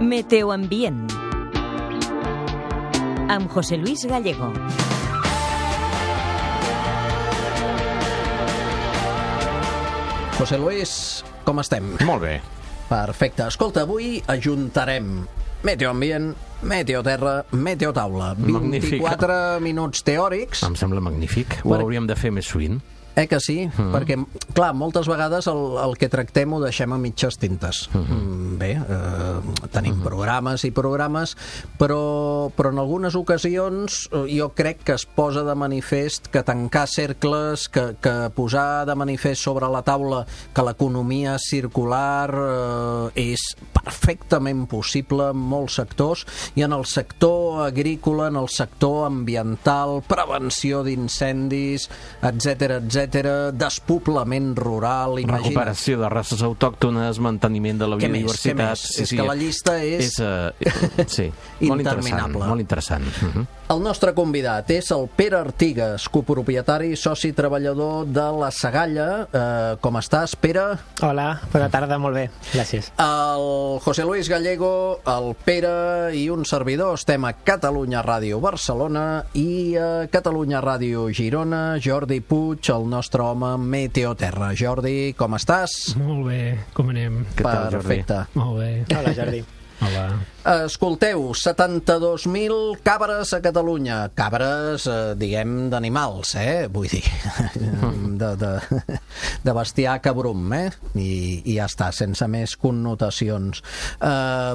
Meteoambient amb José Luis Gallego. José Luis, com estem? Molt bé. Perfecte. Escolta, avui ajuntarem Meteoambient, Meteoterra, Meteotaula. 24 minuts teòrics. Em sembla magnífic. Ho hauríem de fer més sovint. Que sí? Perquè, clar, moltes vegades el que tractem ho deixem a mitges tintes. Bé, tenim programes i programes, però en algunes ocasions jo crec que es posa de manifest que tancar cercles, que posar de manifest sobre la taula que l'economia circular és perfectament possible en molts sectors, i en el sector agrícola, en el sector ambiental, prevenció d'incendis, etcètera, despoblament rural, recuperació de races autòctones, manteniment de la biodiversitat. És que la llista és interminable. Molt interessant. El nostre convidat és el Pere Artigas, copropietari i soci treballador de La Sagalla. Com estàs, Pere? Hola, bona tarda, molt bé, gràcies. El José Luis Gallego, el Pere i un servidor estem a Catalunya Ràdio Barcelona i a Catalunya Ràdio Girona, Jordi Puig, el nostre home Meteoterra. Jordi, com estàs? Molt bé, com anem? Què tal, Jordi? Perfecte. Molt bé. Hola, Jordi. Hola. Escolteu, 72.000 cabres a Catalunya. Cabres, diguem, d'animals, vull dir, de bestiar cabrum, I ja està, sense més connotacions.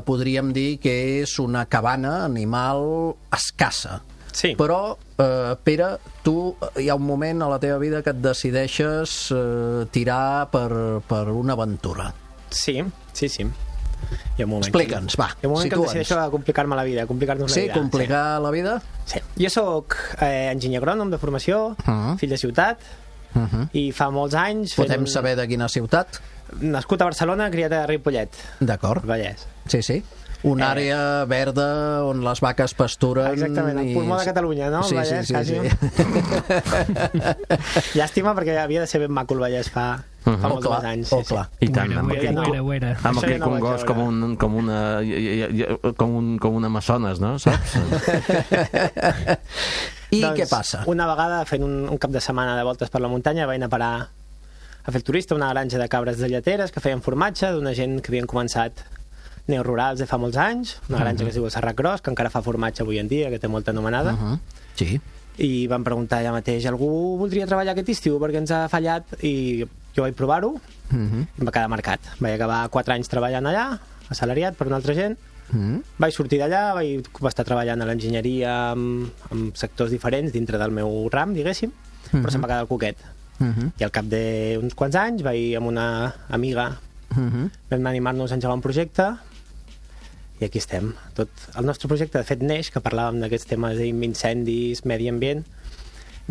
Podríem dir que és una cabana animal escassa. Sí. Però, Pere, tu hi ha un moment a la teva vida que et decideixes tirar per una aventura. Sí. Hi ha un moment. Explica'ns, va, hi ha un moment que em decideixo a complicar-me la vida, complicar-nos la vida. Sí, complicar la vida? Sí. Jo soc enginyer agrònom de formació, fill de ciutat, i fa molts anys... Podem saber de quina ciutat? Nascut a Barcelona, criat a Ripollet. D'acord. Vallès. Sí. Una àrea verda on les vaques pasturen... Exactament, el pulmó de Catalunya, no? Sí. Llàstima, perquè havia de ser ben maco el Vallès fa molts anys. Clar. I tant, Ho era. amb aquell congost com un amazones, no? Saps? I què passa? Una vegada, fent un cap de setmana de voltes per la muntanya, vaig anar a parar a fer el turista a una granja de cabres de lleteres que feien formatge d'una gent que havien començat neorurals de fa molts anys, una granja que es diu el Serrat Gros, que encara fa formatge avui en dia, que té molta anomenada. Sí. I van preguntar allà mateix, algú voldria treballar aquest estiu perquè ens ha fallat? I jo vaig provar-ho i em va quedar marcat. Vaig acabar 4 anys treballant allà, assalariat per una altra gent. Vaig sortir d'allà, vaig estar treballant a l'enginyeria en sectors diferents dintre del meu ram, diguéssim, però se'm va quedar el coquet. I al cap d'uns quants anys vaig amb una amiga vam animar-nos a engegar un projecte i aquí estem. Tot el nostre projecte, de fet, neix, que parlàvem d'aquests temes d'incendis, medi ambient,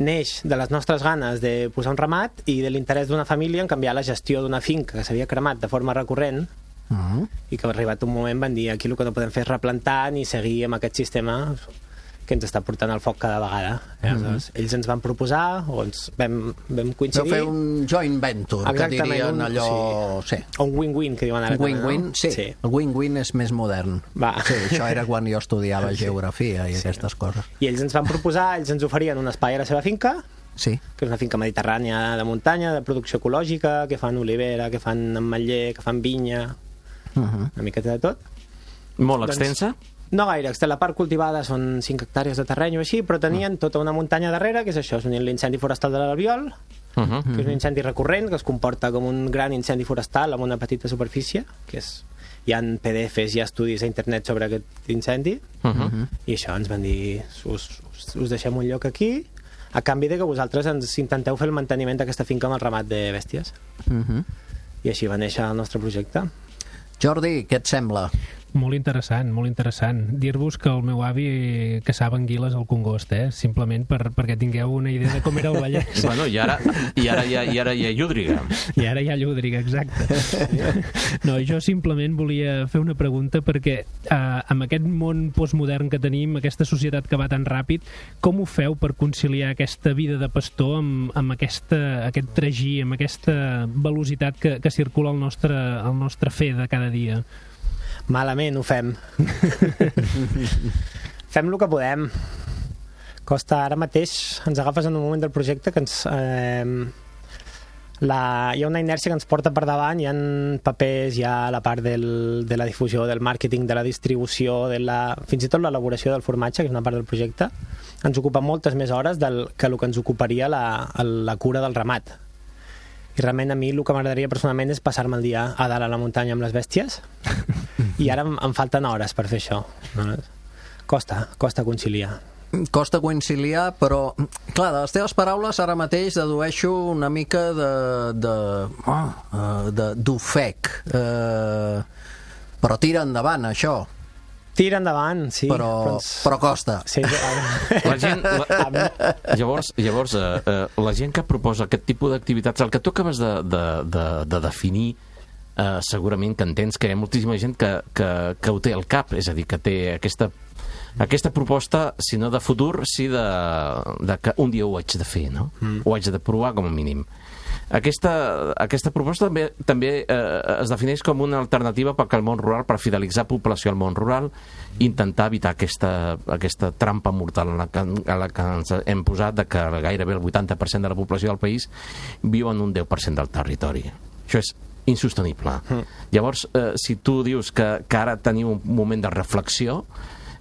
neix de les nostres ganes de posar un ramat i de l'interès d'una família en canviar la gestió d'una finca que s'havia cremat de forma recurrent i que arribat un moment van dir aquí el que no podem fer és replantar ni seguir amb aquest sistema que ens està portant al foc cada vegada. Aleshores, ells ens van proposar, o ens vam coincidir... Vau fer un joint venture, que dirien allò... Sí. O un win-win, que diuen ara. Un win-win, sí. El win-win és més modern. Sí, això era quan jo estudiava geografia i aquestes coses. I ells ens van proposar, ells ens oferien un espai a la seva finca, que és una finca mediterrània de muntanya, de producció ecològica, que fan olivera, que fan ametller, que fan vinya, una miqueta de tot. Molt extensa? No gaire, la part cultivada són 5 hectàrees de terreny o així, però tenien tota una muntanya darrere, que és això, és l'incendi forestal de l'Albiol, que és un incendi recurrent, que es comporta com un gran incendi forestal amb una petita superfície, que és... Hi ha PDFs, hi ha estudis a internet sobre aquest incendi, i això ens van dir, us deixem un lloc aquí, a canvi de que vosaltres ens intenteu fer el manteniment d'aquesta finca amb el ramat de bèsties. I així va néixer el nostre projecte. Jordi, què et sembla? Molt interessant, molt interessant. Dir-vos que el meu avi caçava anguiles al Congost, simplement perquè tingueu una idea de com era el Vallès. Bueno, i ara hi ha llúdriga. I ara hi ha llúdriga, exacte. No, jo simplement volia fer una pregunta perquè amb aquest món postmodern que tenim, aquesta societat que va tan ràpid, com ho feu per conciliar aquesta vida de pastor amb aquest tragí, amb aquesta velocitat que circula al nostre fer de cada dia? Malament ho fem. Fem el que podem. Costa, ara mateix ens agafes en un moment del projecte que ens... hi ha una inèrcia que ens porta per davant, hi ha papers, hi ha la part de la difusió, del màrqueting, de la distribució, fins i tot l'elaboració del formatge, que és una part del projecte. Ens ocupa moltes més hores que el que ens ocuparia la cura del ramat. I realment a mi el que m'agradaria personalment és passar-me el dia a dalt a la muntanya amb les bèsties i ara em falten hores per fer això. Costa conciliar. Costa conciliar, però clar, de les teves paraules ara mateix dedueixo una mica d'ofec, però tira endavant això. Tira endavant, sí. Però costa. Sí, llavors, la gent que proposa aquest tipus d'activitats, el que tu acabes de definir, segurament que entens que hi ha moltíssima gent que ho té al cap, és a dir, que té aquesta proposta, si no de futur, sí de que un dia ho haig de fer, no? Ho haig de provar com a mínim. Aquesta proposta també es defineix com una alternativa perquè el món rural, per fidelitzar població al món rural, intentar evitar aquesta trampa mortal a la que ens hem posat, de que gairebé el 80% de la població del país viu en un 10% del territori. Això és insostenible. Llavors, si tu dius que ara teniu un moment de reflexió,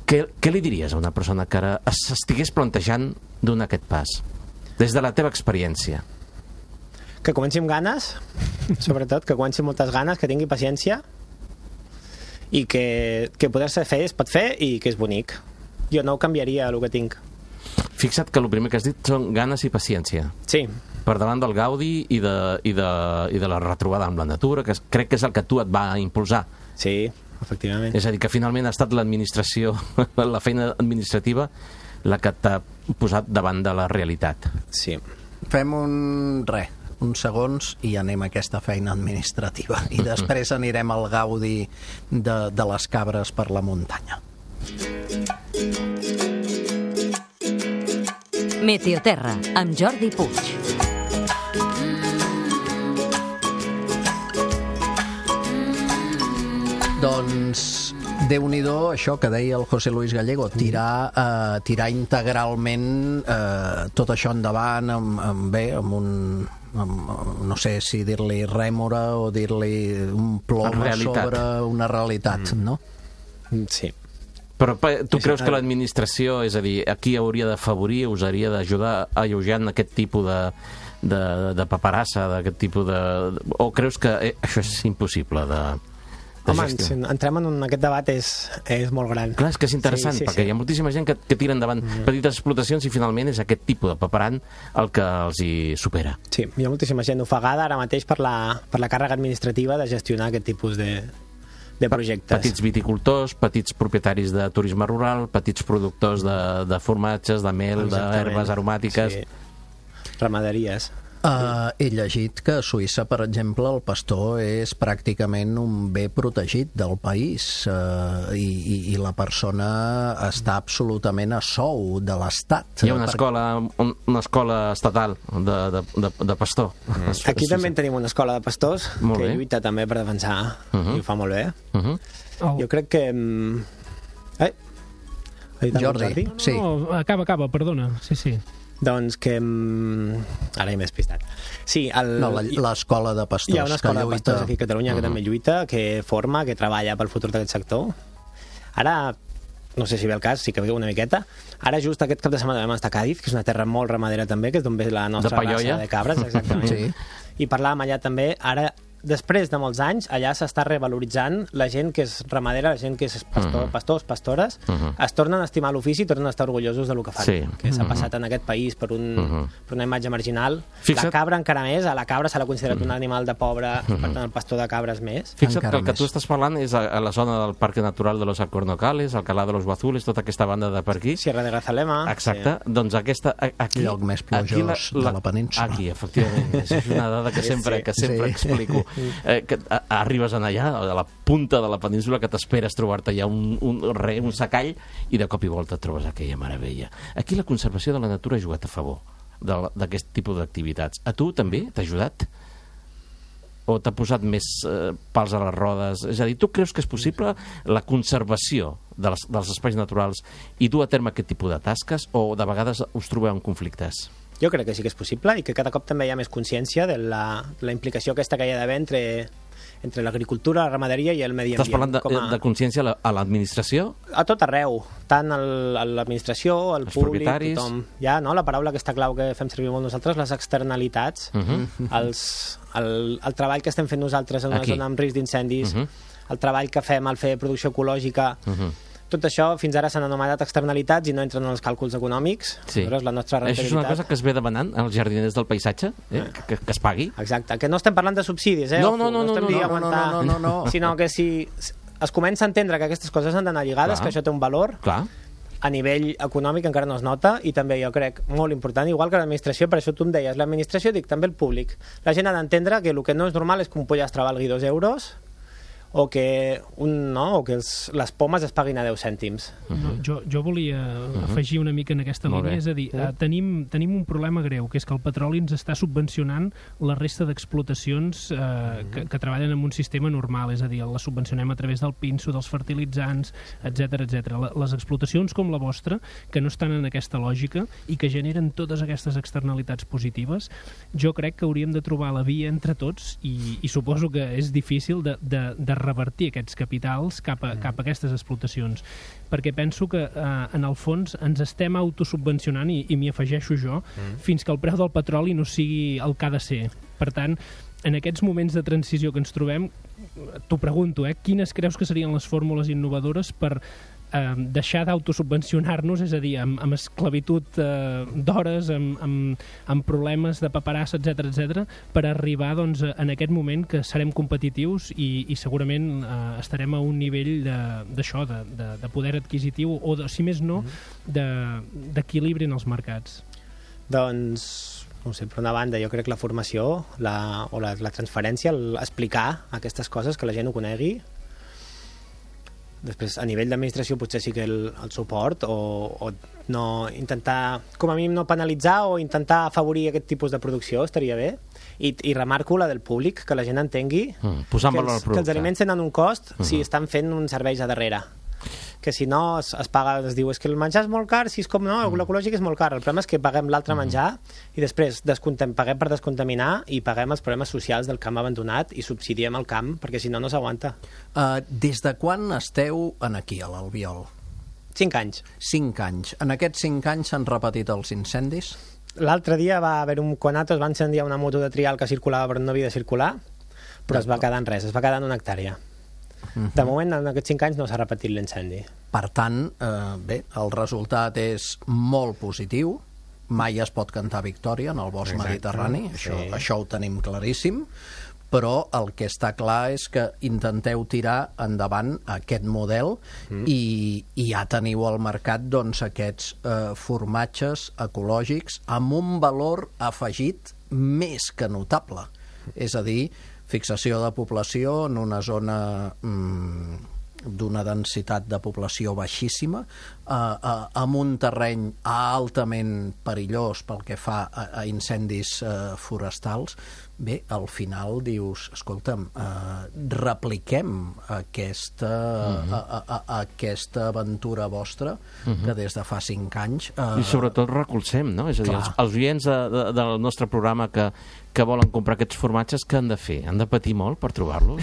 què li diries a una persona que ara s'estigués plantejant donar aquest pas? Des de la teva experiència. Que comenci amb ganes, sobretot, que comenci amb moltes ganes, que tingui paciència i que poder-se fer es pot fer i que és bonic. Jo no ho canviaria, el que tinc. Fixa't que el primer que has dit són ganes i paciència. Sí. Per davant del gaudi i de la retrobada amb la natura, que crec que és el que tu et va impulsar. Sí, efectivament. És a dir, que finalment ha estat l'administració, la feina administrativa, la que t'ha posat davant de la realitat. Sí. Fem uns segons i anem a aquesta feina administrativa i després anirem al gaudi de les cabres per la muntanya. Meteoterra, amb Jordi Puig. Doncs Déu-n'hi-do, això que deia el José Luis Gallego, tirar integralment tot això endavant amb un no sé si dir-li rèmora o dir-li un plom sobre una realitat, no? Sí. Però tu creus que l'administració, és a dir, aquí hauria d'afavorir, us hauria d'ajudar alleujant aquest tipus de paperassa, d'aquest tipus de... O creus que això és impossible de... Home, si entrem en aquest debat és molt gran. Clar, és que és interessant, perquè hi ha moltíssima gent que tira endavant petites explotacions i finalment és aquest tipus de paperant el que els hi supera. Sí, hi ha moltíssima gent ofegada ara mateix per la càrrega administrativa de gestionar aquest tipus de projectes. Petits viticultors, petits propietaris de turisme rural, petits productors de formatges, de mel, d'herbes aromàtiques... Sí. Ramaderies. He llegit que a Suïssa, per exemple, el pastor és pràcticament un bé protegit del país i la persona està absolutament a sou de l'Estat. Hi ha una escola estatal de pastor. Aquí també tenim una escola de pastors que lluita també per defensar i ho fa molt bé. Jo crec que... Jordi, sí. No, acaba, perdona. Sí. Doncs que... Ara m'he despistat. Sí, l'escola de pastors. Hi ha una escola de pastors aquí a Catalunya que també lluita, que forma, que treballa pel futur d'aquest sector. Ara, no sé si ve el cas, sí que ve una miqueta. Ara just aquest cap de setmana vam estar a Càdiz, que és una terra molt ramadera també, que és d'on ve la nostra raça de cabres, exactament. Sí. I parlàvem allà també, ara... Després de molts anys, allà s'està revaloritzant la gent que és ramadera, la gent que és pastors, pastores, es tornen a estimar l'ofici i tornen a estar orgullosos del que fan, que s'ha passat en aquest país per una imatge marginal. La cabra encara més, a la cabra se l'ha considerat un animal de pobre, per tant el pastor de cabres més. Fixa't que el que tu estás parlant és a la zona del Parque Natural de los Alcornocales, Alcalá de los Guazules, tota aquesta banda de per aquí. Sierra de Grazalema. Exacte, doncs aquesta... Lloc més plujós de la península. Aquí, efectivament, és una dada que sempre explico. Que arribes allà, a la punta de la península, que t'esperes trobar-te allà un secall i de cop i volta trobes aquella meravella. Aquí la conservació de la natura ha jugat a favor d'aquest tipus d'activitats. A tu també t'ha ajudat? o t'ha posat més pals a les rodes? És a dir, tu creus que és possible la conservació dels espais naturals i dur a terme aquest tipus de tasques, o de vegades us trobeu en conflictes? Jo crec que sí que és possible i que cada cop també hi ha més consciència de la implicació aquesta que hi ha d'haver entre l'agricultura, la ramaderia i el medi ambient. Estàs parlant de consciència a l'administració? A tot arreu, tant a l'administració, al públic, tothom. Hi ha, no?, la paraula que està clau que fem servir molt nosaltres, les externalitats, el treball que estem fent nosaltres en una zona amb risc d'incendis, el treball que fem al fer producció ecològica, tot això fins ara s'han anomenat externalitats i no entren en els càlculs econòmics. Sí. La nostra Això és una cosa que es ve demanant als jardiners del paisatge, que es pagui. Exacte, que no estem parlant de subsidis, No, sinó que si es comença a entendre que aquestes coses han d'anar lligades, que això té un valor, a nivell econòmic encara no es nota, i també jo crec molt important, igual que l'administració, per això tu em deies, l'administració, dic també el públic. La gent ha d'entendre que el que no és normal és que un pollastre valgui 2 euros o que les pomes es paguin a 10 cèntims. Jo volia afegir una mica en aquesta línia, és a dir, tenim un problema greu, que és que el petroli ens està subvencionant la resta d'explotacions que treballen en un sistema normal, és a dir, les subvencionem a través del pinso, dels fertilitzants, etc. Les explotacions com la vostra, que no estan en aquesta lògica i que generen totes aquestes externalitats positives, jo crec que hauríem de trobar la via entre tots, i suposo que és difícil de revertir aquests capitals cap a aquestes explotacions, perquè penso que en el fons ens estem autosubvencionant, i m'hi afegeixo jo, fins que el preu del petroli no sigui el que ha de ser. Per tant, en aquests moments de transició que ens trobem, t'ho pregunto, quines creus que serien les fórmules innovadores per deixar d'autosubvencionar-nos, és a dir, amb esclavitud d'hores, amb problemes de paperassa, etc., per arribar en aquest moment que serem competitius i segurament estarem a un nivell d'això, de poder adquisitiu, o, si més no, d'equilibri en els mercats. Doncs, no sé, per una banda, jo crec que la formació o la transferència, explicar aquestes coses, que la gent ho conegui. Després, a nivell d'administració, potser sí que el suport, o no intentar, com a mínim, no penalitzar o intentar afavorir aquest tipus de producció, estaria bé. I remarco la del públic, que la gent entengui posar en valor el producte, que els aliments tenen un cost si estan fent uns serveis a darrere. Que si no es paga, es diu, és que el menjar és molt car, si és com no, l'ecològic és molt car. El problema és que paguem l'altre menjar i després paguem per descontaminar i paguem els problemes socials del camp abandonat i subsidiem el camp, perquè si no, no s'aguanta. Des de quan esteu aquí, a l'Albiol? 5 anys. 5 anys. En aquests 5 anys s'han repetit els incendis? L'altre dia va haver un conato, es va incendiar una moto de trial que circulava però no havia de circular, però es va quedar en res, es va quedar en una hectàrea. De moment, en aquests 5 anys no s'ha repetit l'incendi. Per tant, bé, el resultat és molt positiu. Mai es pot cantar victòria en el bosc mediterrani, això ho tenim claríssim, però el que està clar és que intenteu tirar endavant aquest model i ja teniu al mercat aquests formatges ecològics amb un valor afegit més que notable. És a dir, fixació de població en una zona d'una densitat de població baixíssima, amb un terreny altament perillós pel que fa a incendis forestals. Bé, al final dius, escolta'm, repliquem aquesta aventura vostra que des de fa 5 anys... I sobretot recolzem, no? És a dir, els oients del nostre programa que volen comprar aquests formatges, què han de fer? Han de patir molt per trobar-los?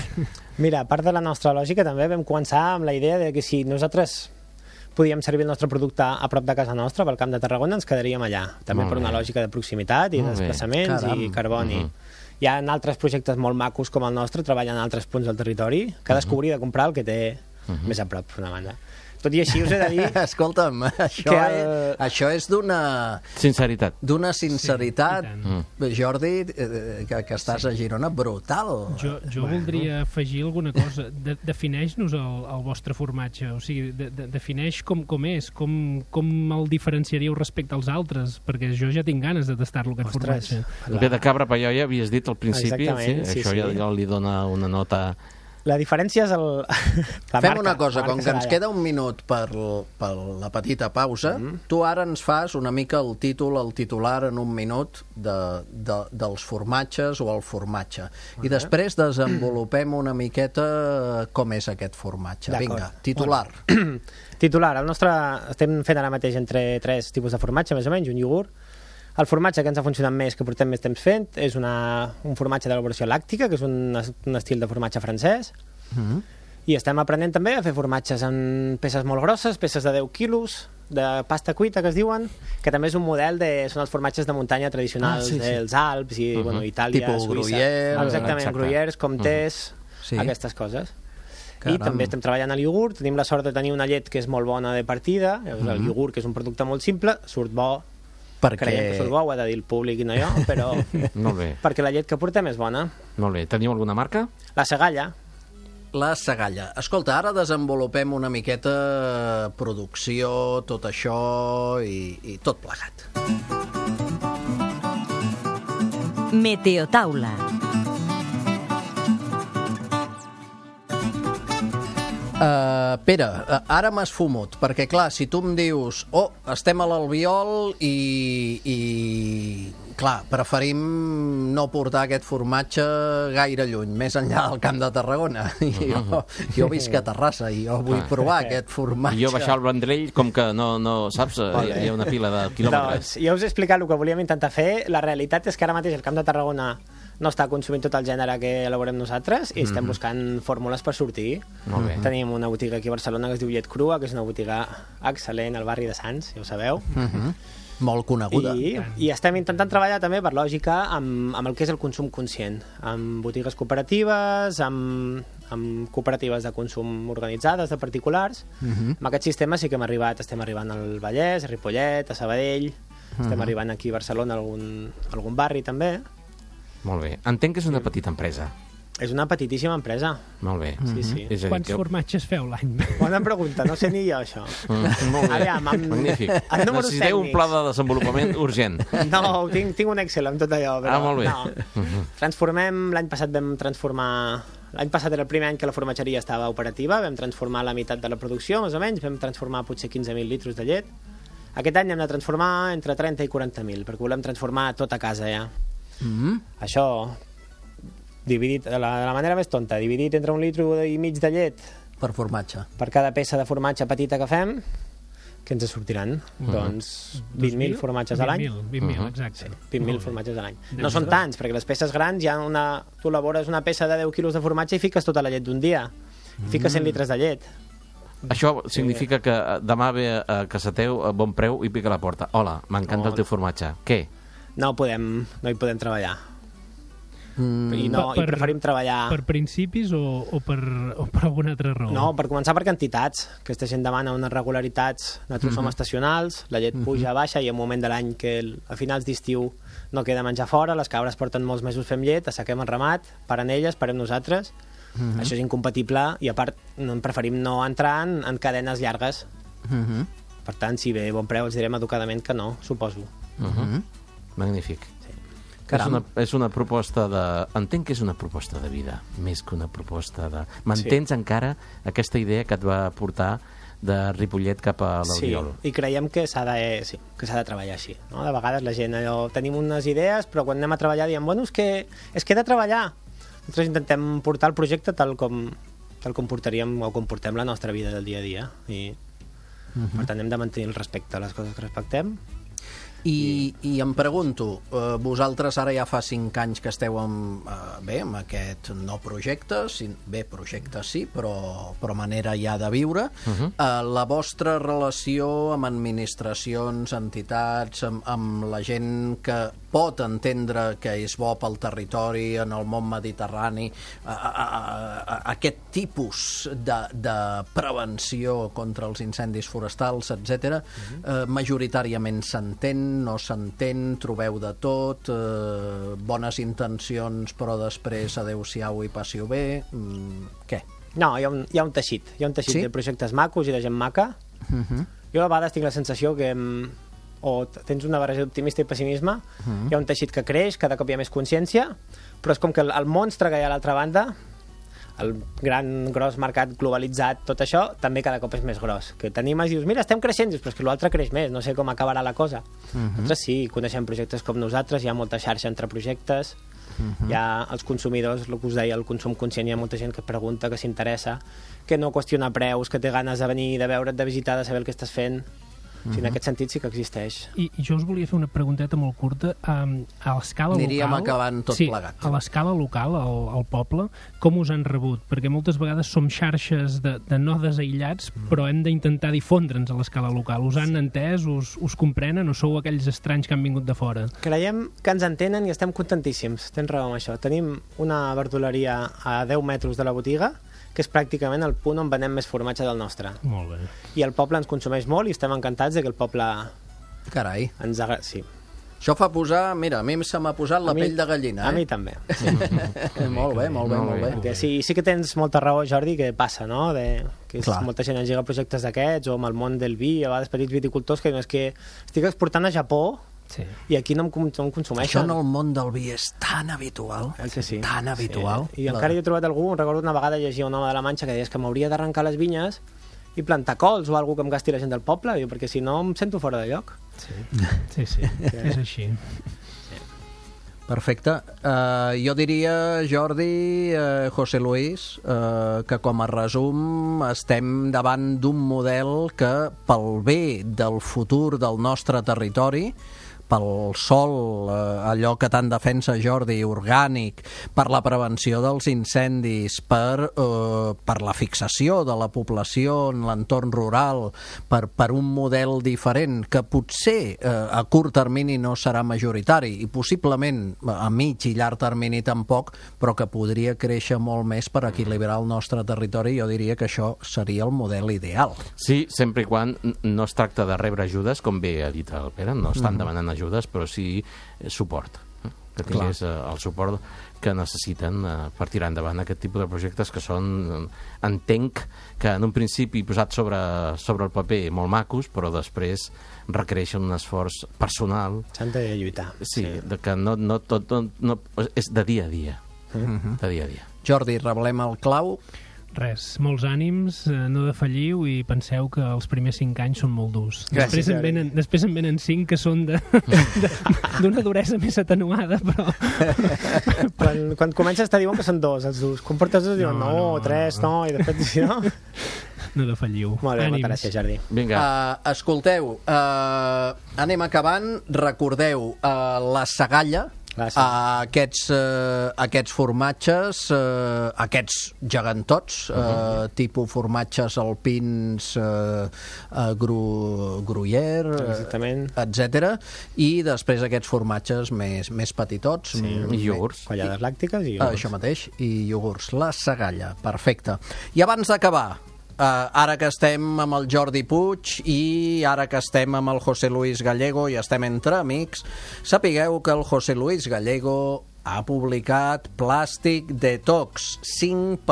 Mira, a part de la nostra lògica, també vam començar amb la idea de que si nosaltres podíem servir el nostre producte a prop de casa nostra, pel Camp de Tarragona, ens quedaríem allà. També per una lògica de proximitat i desplaçaments i carboni. Hi ha altres projectes molt macos com el nostre, treballen en altres punts del territori. Cadascú hauria de comprar el que té més a prop, per una banda. Tot i així us he de dir... Escolta'm, això és d'una... Sinceritat. D'una sinceritat, Jordi, que estàs a Girona, brutal. Jo voldria afegir alguna cosa. Defineix-nos el vostre formatge. O sigui, defineix com és, com el diferenciaríeu respecte als altres, perquè jo ja tinc ganes de tastar-lo, aquest formatge. Bé, de cabra paioia, havies dit al principi, sí, això ja li dona una nota La diferència és la Fem marca, una cosa, la marca com que ens Saralla. queda un minut per la petita pausa, tu ara ens fas una mica el titular en un minut dels formatges o el formatge. I després desenvolupem una miqueta com és aquest formatge. D'acord. Vinga, titular. Titular, el nostre estem fent ara mateix entre 3 tipus de formatge, més o menys, un iogurt. El formatge que ens ha funcionat més, que portem més temps fent, és un formatge d'elaboració làctica, que és un estil de formatge francès. I estem aprenent també a fer formatges en peces molt grosses, peces de 10 quilos, de pasta cuita, que es diuen, que també és un model són els formatges de muntanya tradicionals dels Alps i Itàlia, Tipus Suïssa. gruyère. Exactament, gruyères, comtés, Sí. aquestes coses. Caram. I també estem treballant a l'iogurt, tenim la sort de tenir una llet que és molt bona de partida, el iogurt, que és un producte molt simple, surt bo, creiem que surt bo, ho ha de dir el públic i no jo, però Molt bé, perquè la llet que portem és bona. molt bé. Teniu alguna marca? La Segalla, La Segalla. Escolta, ara desenvolupem una miqueta producció, tot això i tot plegat. Meteotaula. Pere, ara m'has fumut, perquè clar, si tu em dius estem a l'Albiol i clar, preferim no portar aquest formatge gaire lluny, més enllà del Camp de Tarragona. Jo visc a Terrassa i jo vull provar aquest formatge. I jo baixar el Vendrell, com que no saps, hi ha una pila de quilòmetres. doncs ja us he explicat el que volíem intentar fer. La realitat és que ara mateix el Camp de Tarragona no està consumint tot el gènere que elaborem nosaltres i estem buscant fórmules per sortir. Molt bé. Tenim una botiga aquí a Barcelona que es diu Llet Crua, que és una botiga excel·lent al barri de Sants, ja ho sabeu. Molt coneguda. I estem intentant treballar també, per lògica, amb el que és el consum conscient, amb botigues cooperatives, amb cooperatives de consum organitzades, de particulars. Amb aquest sistema sí que estem arribant al Vallès, a Ripollet, a Sabadell, estem arribant aquí a Barcelona, a algun barri també. Molt bé. Entenc que és una petita empresa. És una petitíssima empresa. Molt bé. Sí. És a dir, Quants formatges feu l'any? Bona pregunta, no sé ni jo això. Molt bé. Aviam, Magnífic. amb números Necessiteu un tècnics. pla de desenvolupament urgent. No, tinc un Excel amb tot allò, però molt bé. no. Transformem, l'any passat vam transformar... L'any passat era el primer any que la formatgeria estava operativa, vam transformar la meitat de la producció, més o menys, vam transformar potser 15.000 litres de llet. Aquest any hem de transformar entre 30 i 40.000, perquè volem transformar tot a casa ja. Això, dividit de la manera més tonta, dividit entre 1,5 litres de llet Per formatge. per cada peça de formatge petita que fem, que ens sortiran? Doncs 20.000 formatges a l'any. 20.000, exacte. 20.000 formatges a l'any. No són tants, perquè les peces grans tu elabores una peça de 10 quilos de formatge i fiques tota la llet d'un dia. I fiques 100 litres de llet. Això significa que demà ve a casa teu a bon preu i pica a la porta. Hola, m'encanta el teu formatge. Què? No hi podem treballar. I preferim treballar... Per principis o per alguna altra raó? No, per començar per quantitats. Aquesta gent demana unes regularitats. Nosaltres som estacionals, la llet puja, baixa, i hi ha un moment de l'any que a finals d'estiu no queda menjar fora, les cabres porten molts mesos fem llet, assequem el ramat, paren elles, parem nosaltres. Això és incompatible i a part preferim no entrar en cadenes llargues. Per tant, si ve bon preu els direm educadament que no, suposo. Magnífic. Caram. És una proposta de... Entenc que és una proposta de vida, més que una proposta de... M'entens encara aquesta idea que et va portar de Ripollet cap a l'Albiol? Sí, i creiem que s'ha de treballar així. No? De vegades la gent tenim unes idees, però quan anem a treballar diem, bueno, és que he de treballar. Nosaltres intentem portar el projecte tal com portaríem o com portem la nostra vida del dia a dia. I, per tant, hem de mantenir el respecte a les coses que respectem. I em pregunto, vosaltres ara ja fa 5 anys que esteu amb aquest nou projecte, projecte sí, però manera ja de viure. La vostra relació amb administracions, entitats, amb la gent que pot entendre que és bo pel territori, en el món mediterrani, aquest tipus de prevenció contra els incendis forestals, etc. Majoritàriament s'entén, no s'entén, trobeu de tot, bones intencions però després adeu-siau i passi-ho bé, què? No, hi ha un teixit, Sí? de projectes macos i de gent maca. Jo a vegades tinc la sensació que tens una barreja d'optimista i pessimisme, hi ha un teixit que creix, cada cop hi ha més consciència, però és com que el monstre que hi ha a l'altra banda el gran gros mercat globalitzat, tot això també cada cop és més gros. Que t'animes i dius, mira, estem creixent, dius, però és que l'altre creix més, no sé com acabarà la cosa. Nosaltres sí, coneixem projectes com nosaltres, hi ha molta xarxa entre projectes, hi ha els consumidors, el que us deia, el consum conscient, hi ha molta gent que pregunta, que s'interessa, que no qüestiona preus, que té ganes de venir, de veure't, de visitar, de saber el que estàs fent. O sigui, en aquest sentit sí que existeix. I jo us volia fer una pregunteta molt curta. A l'escala local... Aniríem acabant tot plegat. A l'escala local, al poble, com us han rebut? Perquè moltes vegades som xarxes de nodes aïllats, però hem d'intentar difondre'ns a l'escala local. Us han entès? Us comprenen? O sou aquells estranys que han vingut de fora? Creiem que ens entenen i estem contentíssims. Tens raó amb això. Tenim una verdoleria a 10 metres de la botiga, que és pràcticament el punt on venem més formatge del nostre. Molt bé. I el poble ens consumeix molt i estem encantats de que el poble Carai. ens agrada. Sí. Això fa posar... Mira, a mi se m'ha posat la pell de gallina, A mi també. Molt bé, molt bé, molt bé. Sí que tens molta raó, Jordi, que passa, no? Que molta gent engega projectes d'aquests, o amb el món del vi, a vegades petits viticultors, que no és que estic exportant a Japó, i aquí no em consumeixen. Això en el món del vi és tan habitual, tan habitual. I encara hi he trobat algú, recordo una vegada llegia un home de la Manxa que deies que m'hauria d'arrencar les vinyes i plantar cols o alguna que em gasti la gent del poble, perquè si no em sento fora de lloc. Sí, és així. Perfecte. Jo diria, Jordi, José Luis, que com a resum estem davant d'un model que pel bé del futur del nostre territori, pel sol, allò que tant defensa Jordi, orgànic, per la prevenció dels incendis, per la fixació de la població en l'entorn rural, per un model diferent, que potser a curt termini no serà majoritari i possiblement a mig i llarg termini tampoc, però que podria créixer molt més per equilibrar el nostre territori. Jo diria que això seria el model ideal. Sí, sempre i quan no es tracta de rebre ajudes, com bé ha dit el Pere, no estan demanant ajudes, però sí suport, que tingués el suport que necessiten per tirar endavant aquest tipus de projectes que són, entenc que en un principi posat sobre el paper molt macos, però després requereixen un esforç personal. S'han de lluitar. Sí, que no tot és de dia a dia. De dia a dia. Jordi, revelem el clau. Res, molts ànims, no defalliu i penseu que els primers 5 anys són molt durs. Gràcies, després en venen 5 que són d'una duresa més atenuada, però... Quan comences te diuen que són 2, els durs. Quan portes 2 diuen no, 3, no, i després si no... No defalliu. Molt bé, moltes gràcies, Jordi. Vinga. Escolteu, anem acabant. Recordeu, la Sagalla, aquests formatges, aquests gegantots, tipus formatges alpins, Gruyère, etc. I després aquests formatges més petitots. I iogurts. Collades làctiques i iogurts. Això mateix, i iogurts. La Sagalla, perfecte. I abans d'acabar, ara que estem amb el Jordi Puig i ara que estem amb el José Luis Gallego i estem entre amics, sapigueu que el José Luis Gallego ha publicat Plastic Detox, 5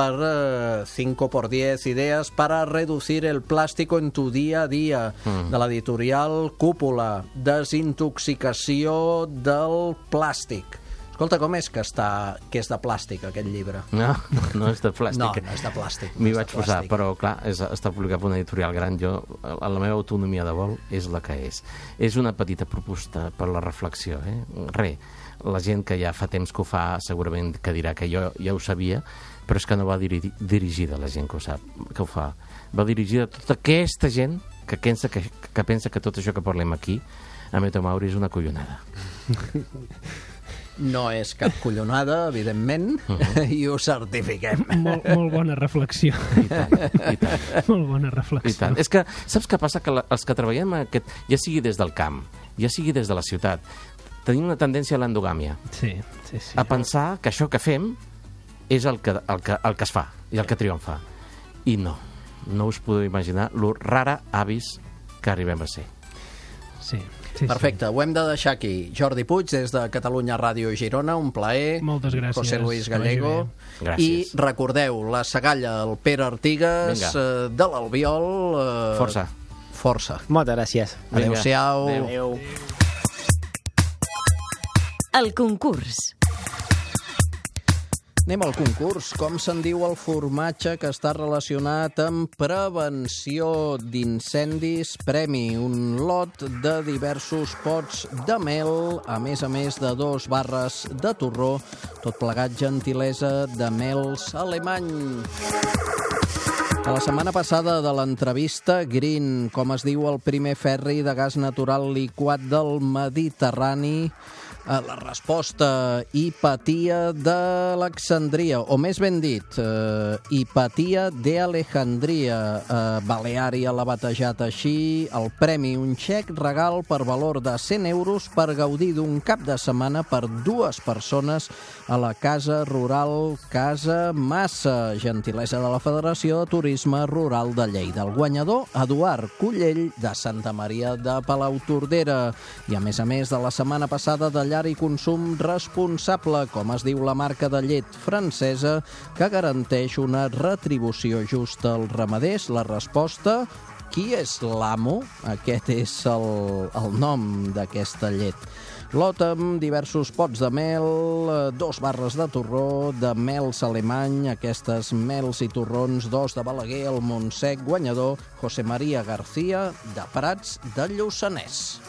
por 10 ideas para reducir el plástico en tu día a día, de l'editorial Cúpula. Desintoxicació del plàstic. Escolta, com és que és de plàstic, aquest llibre? No és de plàstic. No és de plàstic. M'hi vaig posar, però clar, està publicat per una editorial gran. La meva autonomia de vol és la que és. És una petita proposta per la reflexió. La gent que ja fa temps que ho fa segurament que dirà que jo ja ho sabia, però és que no va dirigida a la gent que ho fa. Va dirigida a tota aquesta gent que pensa que tot això que parlem aquí a Metamauri és una collonada. No és cap collonada, evidentment, i ho certifiquem. Molt bona reflexió. I tant. Molt bona reflexió. I tant. És que, saps què passa? Que els que treballem ja sigui des del camp, ja sigui des de la ciutat, tenim una tendència a l'endogàmia. Sí. A pensar que això que fem és el que es fa i el que triomfa. I no us podeu imaginar lo rara avis que arribem a ser. Sí. Perfecte, ho hem de deixar aquí. Jordi Puig, des de Catalunya Ràdio Girona, un plaer. Moltes gràcies. José Luis Gallego. Gràcies. I recordeu, la Sagalla, el Pere Artigas, de l'Albiol... Força. Moltes gràcies. Adéu-siau. Adéu. El concurs. Anem al concurs. Com se'n diu el formatge que està relacionat amb prevenció d'incendis? Premi, un lot de diversos pots de mel, a més de 2 barres de torró, tot plegat gentilesa de Mels Alemany. A la setmana passada de l'entrevista, Green, com es diu el primer ferri de gas natural liquat del Mediterrani? La resposta, Hipatia d'Alexandria, o més ben dit, Hipatia d'Alejandria. Baleària l'ha batejat així. El premi, un xec regal per valor de 100 euros per gaudir d'un cap de setmana per 2 persones a la Casa Rural Casa Massa, gentilesa de la Federació de Turisme Rural de Lleida. El guanyador, Eduard Cullell, de Santa Maria de Palautordera. I a més de la setmana passada de llar i consum responsable, com es diu la marca de llet francesa, que garanteix una retribució justa als ramaders. La resposta, qui és l'amo? Aquest és el nom d'aquesta llet. Lot amb diversos pots de mel, 2 barres de torró, de Mels Alemany, aquestes mels i torrons, 2 de Balaguer, el Montsec, guanyador, José María García, de Prats de Lluçanès.